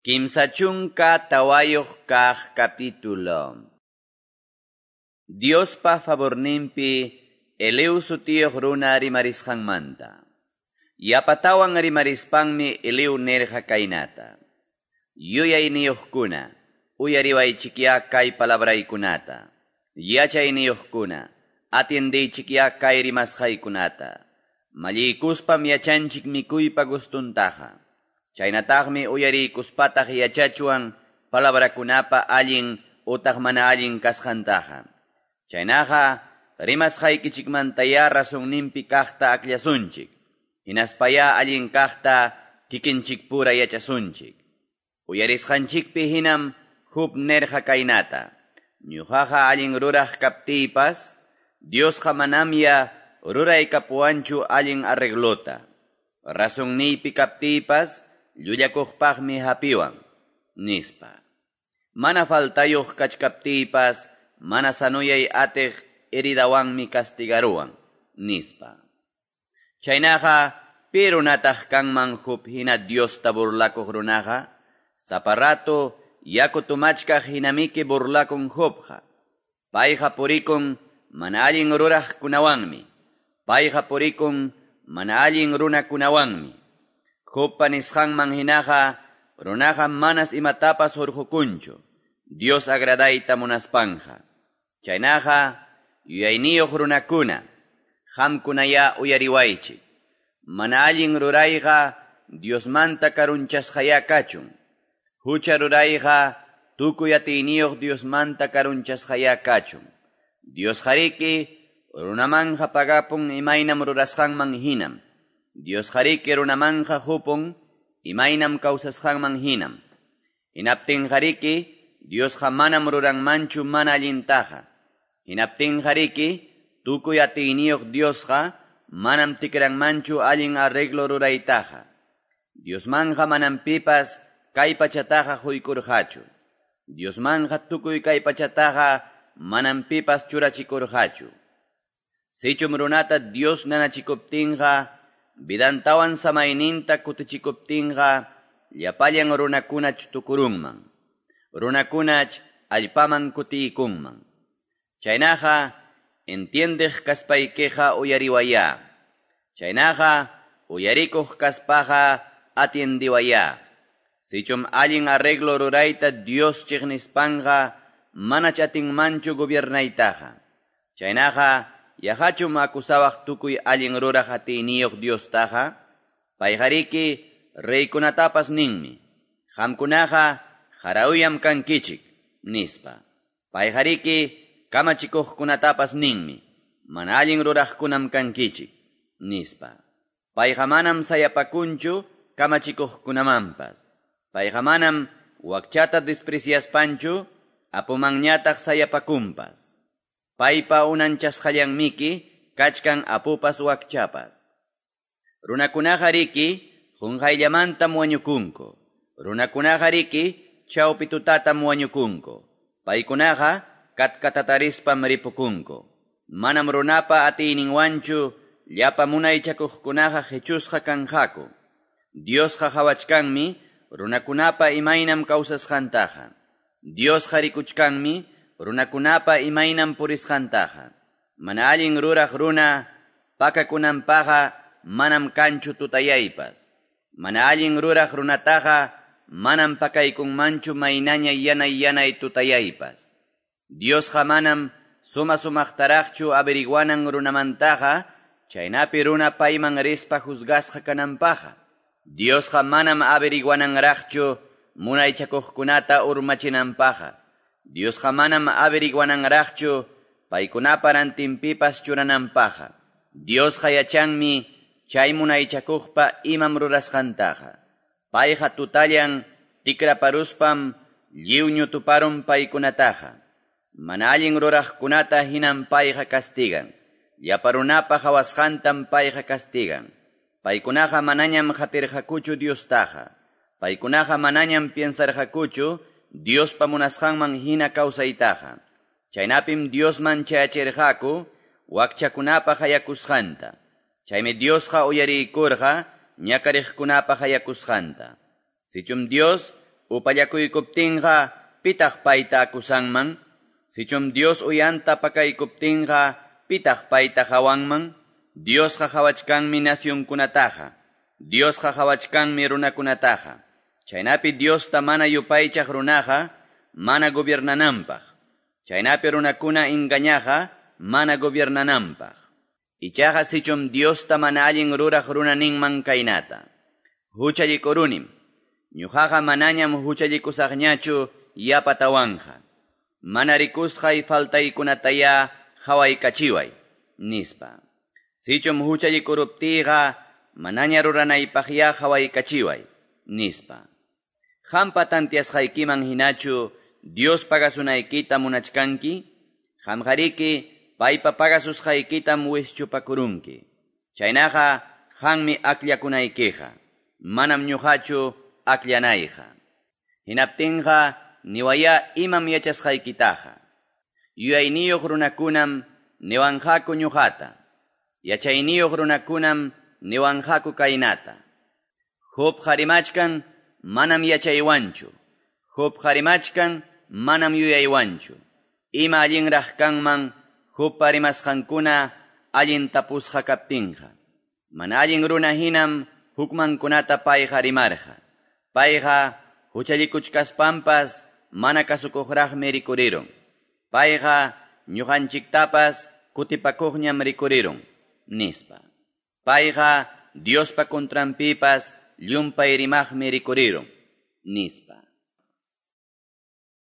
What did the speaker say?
34 kaq capítulo. Diospa favorninpi Eliú sutiyuq runa rimarisqanmanta. Yapatawan rimarispanmi Eliú nirqa kaynata. Yuyayniyuqkuna, uyariwaychikyá kay palabraykunata. Yachayniyuqkuna, atiendeychikyá kay rimasqaykunata. Malliykuspam yachanchik mikuypa gustuntaqa. Chaynataqmi uyariykuspataq yachachuwan palabrakunapa allin utaq mana allin kasqantaqa. Chaynaqa rimasqaykichikmantayá razonninpi kaqta akllasunchik. Hinaspayá allin kaqta kikinchikpura yachasunchik. Uyarisqanchikpi hinam Job nirqa kaynata. Ñuqaqa allin ruraq kaptiypas, Diosqa manamya ruraykapuwanchu allin arreglota. Razonniypi kaptiypas, llullakuqpaqmi hapiwan, nispa. Mana faltayuq kachkaptiypas, mana sanuyay atiq heridawanmi castigaruwan, nispa. Chaynaqa, pi runataq kanman Job hina Diosta burlakuq runaqa? Sapa rato yaku tumachkaq hinamiki burlakun Jobqa. Payqa purikun mana allin ruraqkunawanmi. Payqa purikun mana allin runakunawanmi. Jobpa nisqanman hinaqa, runaqa manas imatapas hurqukunchu, Dios agradayta munaspanja. Chaynaqa, yuyayniyuq runakuna, qamkunayá uyariwaychik. Mana allin rurayqa Diosmanta karunchasqayá kachun. Hucha rurayqa tukuy atiyniyuq Diosmanta karunchasqayá kachun. Diosqariki runamanja pagapun imaynam rurasqanman hinam. Diosqariki runamanja hupun imaynam kawsasqanman hinam. Hinaptinqariki Diosqa manam ruranmanchu mana allintaqa. Hinaptinqariki tukuy atiyniyuq Diosqa manam tikranmanchu allin arreglo ruraytaqa. Diosmanja manam pipas kay pachataqa huykurqachu. Diosmanja tukuy kay pachataqa manam pipas churachikurqachu. Sichum runata Dios nanachikuptinqa, vidantawan samayninta kutichikuptinqa, llapallan runakunach tukurunman. Runakunach allpaman kutiykunman. Chaynaqa, entiendeq kaspaykiqa uyariwayá. Chaynaqa, uyarikuq kaspaqa atiendiwayá. Sichum allin arreglo rurayta Dios chiqnispanqa, manach atinmanchu gobiernaytaqa. Chaynaqa, yaqachum akusawaq tukuy allin ruraq atiyniyuq Diostaqa? Payqariki reykunatapas ninmi. Qamkunaqa qarauyam kankichik, nispa. Payqariki kamachikuqkunatapas ninmi. Mana allin ruraqkunam kankichik, nispa. Payqa manam sayapakunchu kamachikuqkunamanpas. Payqa manam wakchata despreciaspanchu apumanñataq sayapakunpas. Paypa unanchasqallanmiki kachkan apupas wakchapas. Runakunaqa riki qunqayllamantam wañukunku. Runakunaqa riki chawpi tutatam wañukunku. Paykunaqa katkatataриspam ripukunku. Manam runapa atiyninwanchu llapa munaychakuqkunaqa qichusqa kanqaku. Diosqa qhawachkanmi runakunapa imaynam kawsasqantaqa. Diosqa rikuchkanmi runakunapa imaynam purisqantaqa. Mana allin ruraq runa pakakunanpaqa manam kanchu tutayaypas. Mana allin ruraq runataqa manam pakaykunmanchu maynaña yanay yanay tutayaypas. Diosqa manam suma sumaqtaraqchu averiguanan runamantaqa, chaynapi runa payman rispa juzgasqa kananpaqa. Diosqa manam averiguananraqchu munaychakuqkunata urmachinanpaqa. Diosqa manam averiguananraqchu paykunapa rantinpipas churananpaqa. Diosqa yachanmi chay munaychakuqpa imam rurasqantaqa. Payqa tutallan tikraparuspam lliw ñutuparun paykunataqa. Mana allin ruraqkunata hinam payqa castigan. Llapa runapa qhawasqantam payqa castigan. Paykunaqa manañam qatirqakuchu Diostaqa. Paykunaqa manañam piensarqakuchu Diospa munasqanman hina kawsaytaqa. Chaynapim Diosman chayachirqaku wakchakunapa hayakusqanta. Chaymi Diosqa uyariykurqa ñakariqkunapa hayakusqanta. Sichum Dios Upallakuykuptinqa pitaq payta acusanman? Sichum Dios uyanta pakaykuptinqa pitaq payta qawanman? Diosqa qawachkanmi nacionkunataqa. Diosqa qawachkanmi runakunataqa. Chaynapi Diosta mana yupaychaq runaqa mana gobiernananpaq. Chaynapi runakuna engañaqa mana gobiernananpaq. Ichaqa sichum Diosta mana allin ruraq runa ninman kaynata: Huchallikurunim. Ñuqaqa manañam huchallikusaqñachu yapatawanqa. Mana rikusqay faltaykunatayá qawaykachiway, nispa. Sichum huchallikuruptiyqa manaña ruranaypaqyá qawaykachiway, nispa. Qampa tantiasqaykiman hinachu Dios pagasunaykita munachkanki? Qamqariki paypa pagasusqaykitam wischupakurunki. Chaynaqa qanmi akllakunaykiqa, manam ñuqachu akllanayqa. Hinaptinqa niwayá imam yachasqaykitaqa. Yuyayniyuq runakunam niwanqaku ñuqata. Yachayniyuq runakunam niwanqaku kaynata: Jobqa rimachkan manam yachaywanchu. Jobqa rimachkan manam yuyaywanchu. Ima allinraq kanman Jobpa rimasqankuna allin tapusqa kaptinqa. Mana allin runa hinam hukmankunata payqa rimarqa. Payqa huchallikuchkaspanpas mana kasukuqraqmi rikurirun. Payqa ñuqanchiktapas kutipakuqñam rikurirun, nispa. Payqa Diospa contranpipas llumpay rimaqmi rikurirun, nispa.